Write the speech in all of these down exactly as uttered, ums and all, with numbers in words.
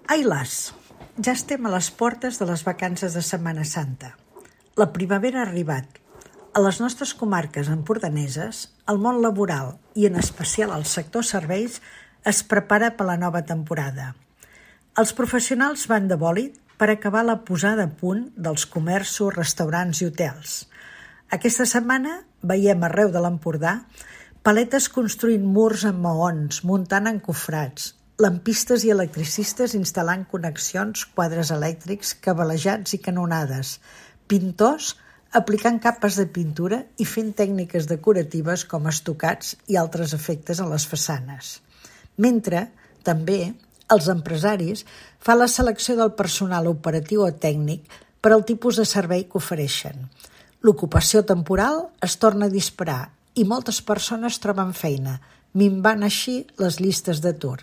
Ai las, ja estem a les portes de les vacances de Setmana Santa. La primavera ha arribat. A les nostres comarques empordaneses, el món laboral i en especial el sector serveis es prepara per la nova temporada. Els professionals van de bòlit per acabar la posada a punt dels comerços, restaurants i hotels. Aquesta setmana veiem arreu de l'Empordà paletes construint murs amb maons, muntant encofrats, lampistes i electricistes instal·lant connexions, quadres elèctrics, cablejats i canonades, pintors aplicant capes de pintura i fent tècniques decoratives com estucats i altres efectes a les façanes. Mentre, també, els empresaris fan la selecció del personal operatiu o tècnic per al tipus de servei que ofereixen. L'ocupació temporal es torna a disparar i moltes persones troben feina, minvant així les llistes d'atur.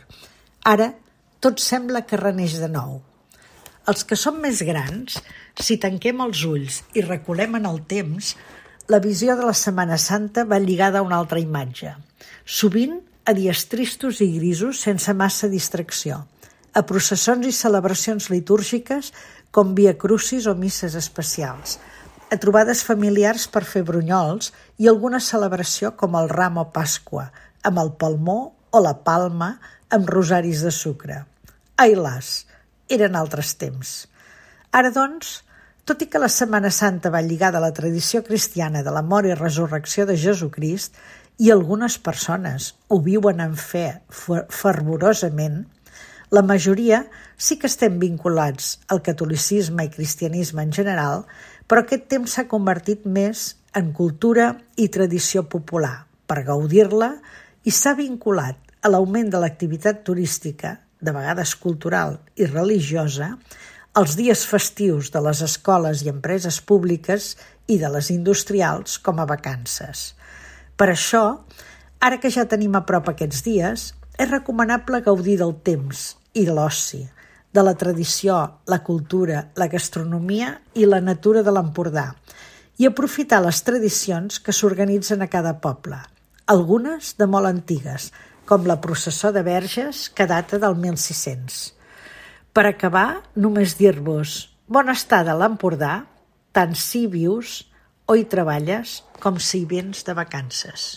Ara, tot sembla que reneix de nou. Els que som més grans, si tanquem els ulls i reculem en el temps, la visió de la Setmana Santa va lligada a una altra imatge. Sovint a dies tristos i grisos sense massa distracció, a processons i celebracions litúrgiques com Via Crucis o misses especials, a trobades familiars per fer brunyols i alguna celebració com el Ram o Pasqua, amb el palmó o la palma amb rosaris de sucre. Ai las, eren altres temps. Ara, doncs, tot i que la Setmana Santa va lligada a la tradició cristiana de la mort i resurrecció de Jesucrist, i algunes persones ho viuen en fe fervorosament, la majoria sí que estem vinculats al catolicisme i cristianisme en general, però aquest temps s'ha convertit més en cultura i tradició popular per gaudir-la i s'ha vinculat a l'augment de l'activitat turística, de vegades cultural i religiosa, als dies festius de les escoles i empreses públiques i de les industrials com a vacances. Per això, ara que ja tenim a prop aquests dies, és recomanable gaudir del temps i de l'oci, de la tradició, la cultura, la gastronomia i la natura de l'Empordà i aprofitar les tradicions que s'organitzen a cada poble, algunes de molt antigues, com la processó de Verges, que data del mil sis-cents. Per acabar, només dir-vos bona estada a l'Empordà, tant si hi vius o hi treballes com si hi vens de vacances.